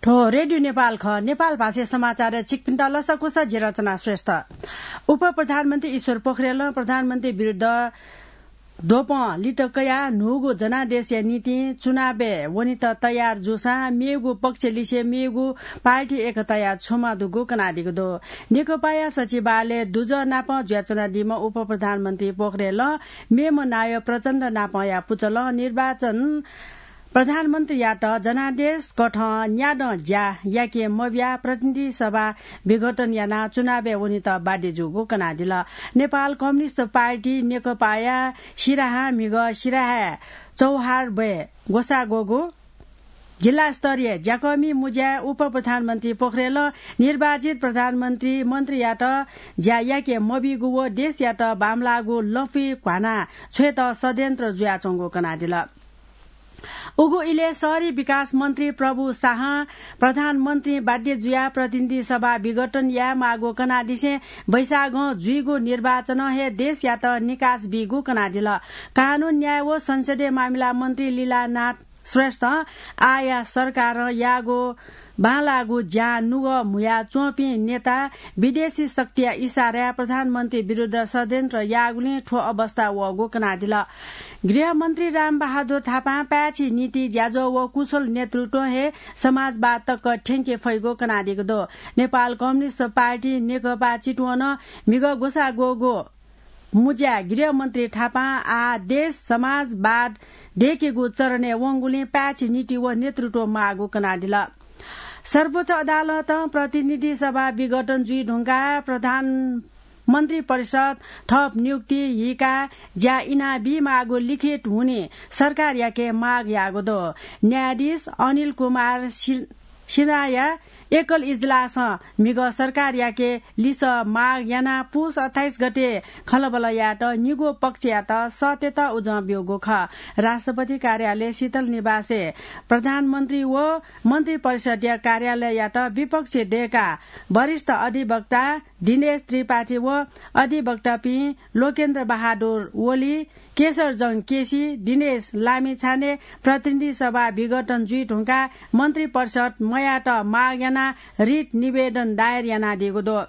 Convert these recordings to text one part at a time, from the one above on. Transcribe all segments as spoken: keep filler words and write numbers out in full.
थ्व रेडियो नेपाल खः। नेपाल भाषाय् समाचार छिकपिन्त लसकुस, जि रचना श्रेष्ठ। उपप्रधानमन्त्री ईश्वर पोखरेलं प्रधानमन्त्री विरुद्ध द्वपं लित कयाः न्हूगु जनादेशया निंतिं चुनावय् वनेत तयार जूसां मेगु पक्ष लिसे मेगु पार्टी एकताया छुमा दुगु कनादीगु दु। नेकपाया सचिवालय दुजः नाप जुयाच्वनादीम्ह उपप्रधानमन्त्री पोखरेलं मेम्ह नायः प्रचण्ड नापंया पुचलं निर्वाचन प्रधानमन्त्रीयात जनादेश कथं न्यादँ ज्या याके मबियाः प्रतिनिधि सभा विघटन यानाः चुनावय् वनेत बाध्य जूगु कनादिल। नेपाल कम्युनिस्ट पार्टी नेकपाया सिराहां म्हिगः सिराहाय् चौहार ब्वय् ग्वसाः ग्वःगु जिल्ला स्तरीय ज्याकःमि मुँज्याय् उपप्रधानमन्त्री पोखरेलं निर्वाचित प्रधानमन्त्री मन्त्रीयात ज्या याके मबीगु व देशयात बांमलाःगु लँपुइ घ्वाना छ्वयेत षड्यन्त्र जुयाच्वंगु कनादिल। उगु इलय् शहरी विकास मन्त्री प्रभु शाहं प्रधानमन्त्री बाध्य जुयाः प्रतिनिधि सभा विघटन यायेमाःगु कनादिसें वैशाखं जुइगु निर्वाचनं हे देशयात निकास बीगु कनादिल। कानून, न्याय व संसदीय मामिला मन्त्री लीलानाथ श्रेष्ठं आःया सरकारं याःगु बांलाःगु ज्यां नुगः म्हुयाच्वंपिं नेता विदेशी शक्तिया इसाराय् प्रधानमन्त्री विरुद्ध षड्यन्त्र याःगुलिं थ्व अवस्था वःगु कनादिल। गृहमन्त्री रामबहादुर थापां पाय्छि नीति, ज्याझ्वः व कुशल नेतृत्वं हे समाजवाद तक थ्यंके फइगु कनादीगु दु। नेपाल कम्युनिस्ट पार्टी नेकपा चितवनं म्हिगः ग्वसाः ग्वःगु मुँज्याय् गृहमन्त्री थापां आः देश समाजवाद दय्केगु चरणय् वंगुलिं पाय्छि नीति व नेतृत्व माःगु कनादिल। सर्वोच्च अदालतं प्रतिनिधि सभा विघटन जुइ धुंकाः प्रधानमन्त्री परिषद, थप नियुक्ति, हिका ज्या इनाबीमाःगु लिखित हुनिं सरकारयाके माग याःगु दु। न्यायाधीश अनिल कुमार सि-, सिन्हाया एकल इजलासं म्हिगः सरकारयाके लिसः माग यानाः पुस अट्ठाइस गते खँल्हाबल्हा यायेत निगू पक्षयात सःतेत उजं ब्यूगु खः। राष्ट्रपति कार्यालय शीतल निवासय् प्रधानमन्त्री व मन्त्री परिषदया कार्यालययात विपक्षय् दय्काः वरिष्ठ अधिवक्ता दिनेश त्रिपाठी व अधिवक्तापिं लोकेन्द्र बहादुर ओली, केशरजंग केसी, दिनेश लामिछाने प्रतिनिधि सभा विघटन जुइ धुंकाः मन्त्री परिषद मयायेत माग यानाः रिट निवेदन दायर यानादीगु दु।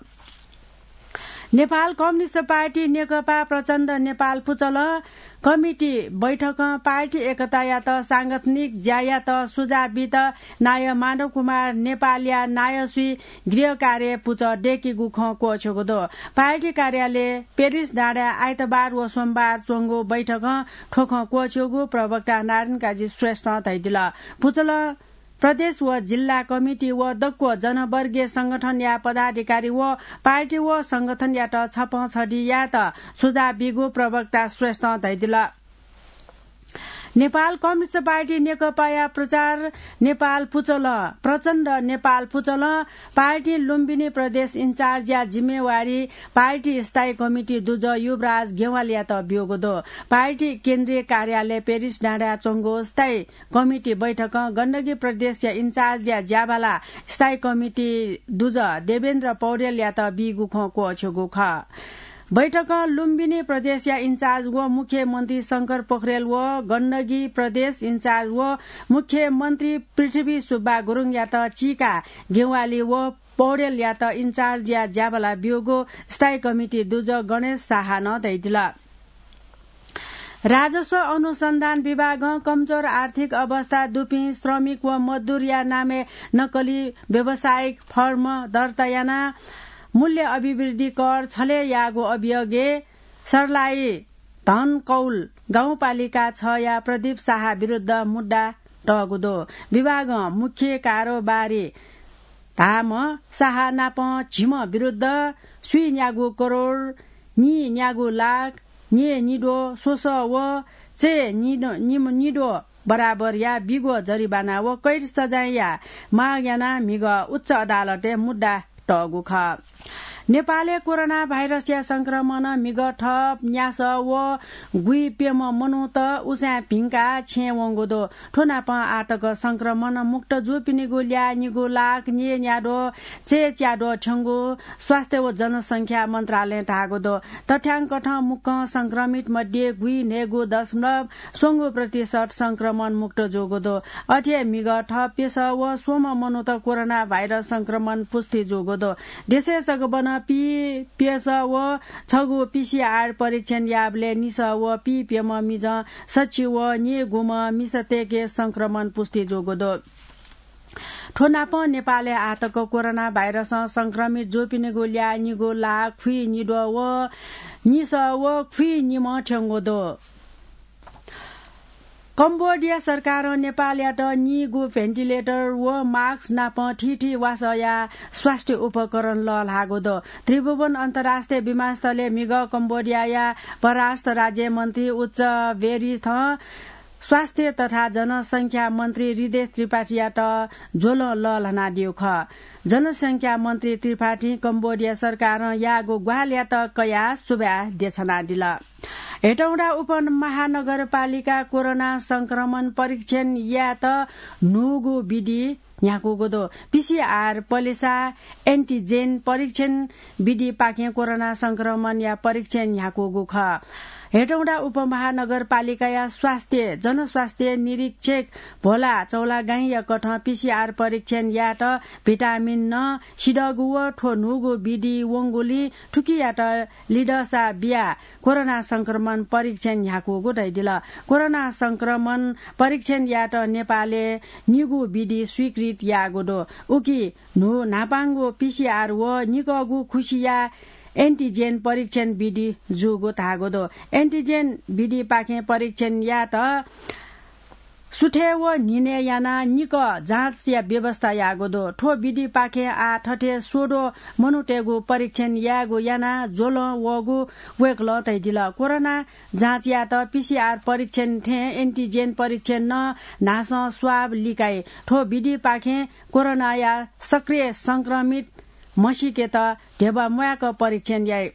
नेपाल कम्युनिस्ट पार्टी नेकपा प्रचण्ड नेपाल पुचलं कमिटी बैठकं पार्टी एकतायात सांगठनिक ज्यायात सुझाव बीत नायः माधव कुमार नेपालया नायःसुइ गृह कार्य पुचः दय्केगु खँ क्वःछ्यूगु दु। पार्टी कार्यालय पेरिस डाँडाय् आइतबार व सोमबार च्वंगु बैठकं थ्व खँ क्वःछ्यूगु प्रवक्ता नारायण काजी श्रेष्ठं धयादिल। पुचलं प्रदेश व जिल्ला कमिटी व दक्व जनवर्गीय संगठनया पदाधिकारी व पार्टी व संगठनयात छपं छधि यायेत सुझाव बीगु प्रवक्ता श्रेष्ठं धयादिल। नेपाल कम्युनिस्ट पार्टी नेकपाया प्रचार नेपाल पुचलं, प्रचण्ड नेपाल पुचलं पार्टी लुम्बिनी प्रदेश इन्चार्जया जिम्मेवारी पार्टी स्थायी कमिटी दुजः युवराज गेवालीयात ब्यूगु दु। पार्टी केन्द्रीय कार्यालय पेरिस डाँडाय् च्वंगु स्थायी कमिटी बैठकं गण्डकी प्रदेशया इन्चार्जया ज्याभाला स्थायी कमिटी दुजः देवेन्द्र पौडेलयात बीगु खँ क्वःछ्यूगु खः। बैठकं लुम्बिनी प्रदेशया इन्चार्ज व मुख्यमन्त्री शंकर पोखरेल व गण्डकी प्रदेश इन्चार्ज व मुख्यमन्त्री पृथ्वी सुब्बा गुरुङयात चीका गेवाली व पौडेलयात इन्चार्जया ज्याभाला ब्यूगु स्थायी कमिटी दुजः गणेश शाहं धयादिल। राजस्व अनुसन्धान विभागं कमजोर आर्थिक अवस्था दुपिं श्रमिक व मजदुरया नामय् नक्कली व्यावसायिक फर्म दर्ता यानाः मूल्य अभिवृद्धि कर छले याःगु अभियोगय् सर्लाही धनकौल गाउँपालिका छया प्रदीप शाह विरुद्ध मुद्दा तःगु दु। विभागं मुख्य कारोबारी धाःम्ह शाह नाप झिम्ह विरुद्ध स्वीन्यागू करोड, नीन्यागू लाख, नीन्याद्वः स्वसः व चय् निद्वः बराबरया बिग्वः जरिवाना व कैद सजायया माग यानाः म्हिगः उच्च अदालतय् मुद्दा तःगु खः। नेपालय् कोरोना भाइरसया संक्रमणं म्हिगः थप न्यासः व गुइप्यम्ह मनूत उसाँय् भिंकाः छेँय् वंगु दु। थ्व नापं आःतक संक्रमण मुक्त जूपिनिगु ल्याः निगू लाख न्यय्‌न्याद्वः चय्‌च्याद्वः थ्यंगु स्वास्थ्य व जनसंख्या मन्त्रालयं धाःगु दु। तथ्याङ्कथं मुक्कं संक्रमित मध्ये गुइन्हय्‌गू दशमलव स्वंगू प्रतिशत संक्रमण मुक्त जूगु दु। अथे हे म्हिगः थप प्यसः व स्वम्ह मनूत कोरोना भाइरस संक्रमण पुष्टि जूगु दु। देशय् सगबनं पीप्यसः व छगू पीसीआर परीक्षण याःबलय् निसः व पीप्यम्ह मिजं सच्छि व न्यय्‌गूम्ह मिसातय्‌के संक्रमण पुष्टि जूगु दु। थ्व नापं नेपालय् आःतक कोरोना भाइरसं संक्रमित जूपिनिगु ल्याः निगू लाख खुइनिद्वः व निसः व खुइनिम्ह थ्यंगु दु। कम्बोडिया सरकारं नेपालयात निगू भेन्टिलेटर व मास्क नाप थीथी वासःया स्वास्थ्य उपकरण लःल्हाःगु दु। त्रिभुवन अन्तर्राष्ट्रिय विमानस्थलय् म्हिगः कम्बोडियाया परराष्ट्र राज्य मन्त्री उच्च बेरिथं स्वास्थ्य तथा जनसंख्या मन्त्री हृदय त्रिपाठीयात ज्वलं लःल्हानादीगु खः। जनसंख्या मन्त्री त्रिपाठीं कम्बोडिया सरकारं याःगु ग्वाहालियात कयाः सुभाय् देछानादिल। हेटौँडा उपमहानगरपालिका कोरोना संक्रमण परीक्षण यायेत न्हूगु विधि न्ह्याकूगु दु। पीसीआर पलेसा एन्टिजेन परीक्षण विधिपाखें कोरोना संक्रमणया परीक्षण न्ह्याकूगु खः। हेटौँडा उपमहानगरपालिकाया स्वास्थ्य, जनस्वास्थ्य निरीक्षक भोला चौलागाईंया कथं पीसीआर परीक्षण यायेत भिटामिन नं सिधःगु व थ्व न्हूगु विधि वंगुलिं थुकियात लिधःसा बियाः कोरोना संक्रमण परीक्षण न्ह्याकूगु धयादिल। कोरोना संक्रमण परीक्षण यायेत नेपालय् निगू विधि स्वीकृत याःगु दु। उकी न्हू न्हापांगु पीसीआर व निकःगु खुसिया एन्टिजेन परीक्षण विधि जूगु धाःगु दु। एन्टिजेन विधिपाखें परीक्षण यायेत सुथय् व न्हिनय् यानाः निकः जाँचया व्यवस्था याःगु दु। थ्व विधिपाखें आः थथे स्वद्वः मनूतय्‌गु परीक्षण यायेगु यानाः ज्वलं वःगु वय्‌कलं धयादिल। कोरोना जाँच यायेत पीसीआर परीक्षण थें एन्टिजेन परीक्षण नं न्हासं स्वाब लिकाइ। थ्व विधिपाखें कोरोनाया सक्रिय संक्रमित म्हसीकेत ध्यबा म्वाय्‌क परीक्षण याइ।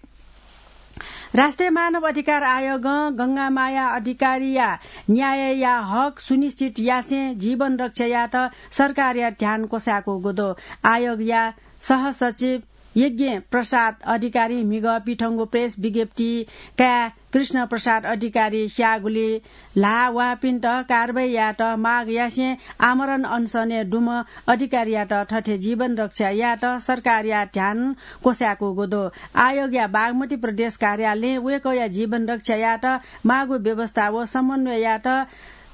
राष्ट्रिय मानव अधिकार आयोगं गंगामाया अधिकारीया न्यायया हक सुनिश्चित यासें जीवन रक्षा यायेत सरकारया ध्यान क्वसाय्‌कूगु दु। आयोगया सहसचिव यज्ञ प्रसाद अधिकारी म्हिगः पिथंगु प्रेस विज्ञप्ति काय् कृष्ण प्रसाद अधिकारी स्याःगुलिं ल्हाः वःपिन्त कारवाही यायेत माग यासें आमरण अनसनय् दुम्ह अधिकारीयात थथे जीवन रक्षा यायेत सरकारया ध्यान क्वसाय्‌कूगु दु। आयोगया बागमती प्रदेश कार्यालयं वय्‌कःया जीवन रक्षा यायेत माःगु व्यवस्था व समन्वय यायेत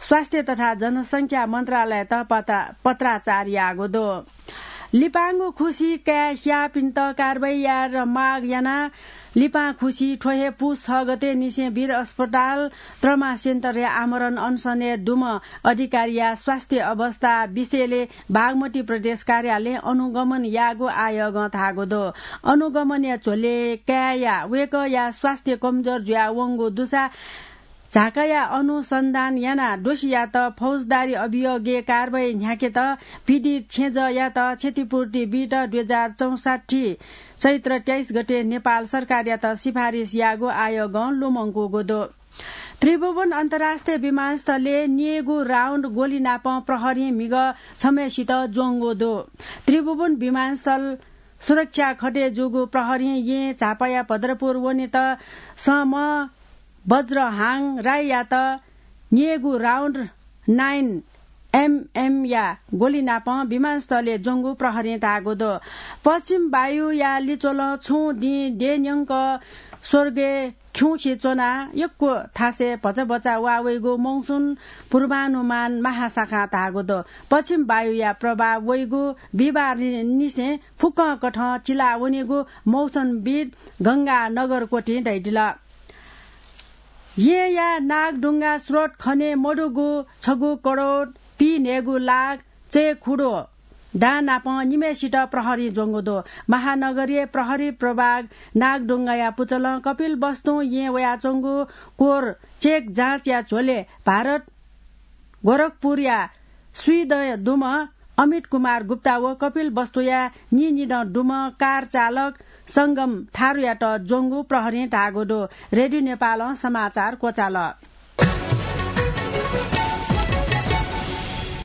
स्वास्थ्य तथा जनसंख्या मन्त्रालययात पत्रा-, पत्राचार याःगु दु। लिपांगु खुसी काय् स्याःपिन्त कारवाही यायेत माग यानाः लिपां खुसी थ्व हे पुस छ गते निसें वीर अस्पताल ट्रमा सेन्टरय् आमरण अनसनय् दुम्ह अधिकारीया स्वास्थ्य अवस्था विषयले बागमती प्रदेश कार्यालयं अनुगमन याःगु आयोगं धाःगु दु। अनुगमनया झ्वलय् काय्‌या वय्‌कःया स्वास्थ्य कमजोर जुयावंगु दुसा झाकाया अनुसन्धान यानाः दोषीयात फौजदारी अभियोगय् कारवाही न्ह्याकेत पीडित छेँजःयात क्षतिपूर्ति बीत दुई हजार चौसट्ठी चैत्र तेइस गते नेपाल सरकारयात सिफारिस याःगु आयोगं लुमंकूगु दु। त्रिभुवन अन्तर्राष्ट्रिय विमानस्थलय् न्यय्‌गू राउन्ड गोली नापं प्रहरीं म्हिगः छम्हय्‌सित ज्वंगु दु। त्रिभुवन विमानस्थल सुरक्षा खटे जूगु प्रहरीं येँ झापाया भद्रपुर वनेत सःम्ह बज्रहाङ राईयात न्यय्‌गू राउन्ड नाइन एमएमया गोली नापं विमानस्थलय् ज्वंगु प्रहरीं धाःगु दु। पश्चिम वायुया लिच्वलं छुं दिं देय्‌न्यंक स्वर्गय् खिउँसे च्वनाः यक्व थासय् भचा भचा वाः वइगु मौसम पूर्वानुमान महाशाखां धाःगु दु। पश्चिम वायुया प्रभाव वइगु बिहिबार नि-, निसें फुक्कं कथं चिलावनीगु मौसमविद गंगा नगरकोटिं धयादिल। येँया नागढुङ्गा स्रोत खने मदुगु छगू करोड पीन्हय्‌गू लाख चय्‌खुद्वः दां नापं निम्हय्‌सित प्रहरीं ज्वंगु दु। महानगरीय प्रहरी प्रभाग नागढुङ्गाया पुचलं कपिलवस्तुं येँ वयाच्वंगु कोर चेक जाँचया झ्वलय् भारत गोरखपुरया स्वीदँ दुम्ह अमित कुमार गुप्ता व कपिलवस्तुया नीनिदँ दुम्ह कार चालक संगम थारुयात ज्वंगु प्रहरीं धाःगु दु। रेडियो नेपालं समाचार क्वचाल।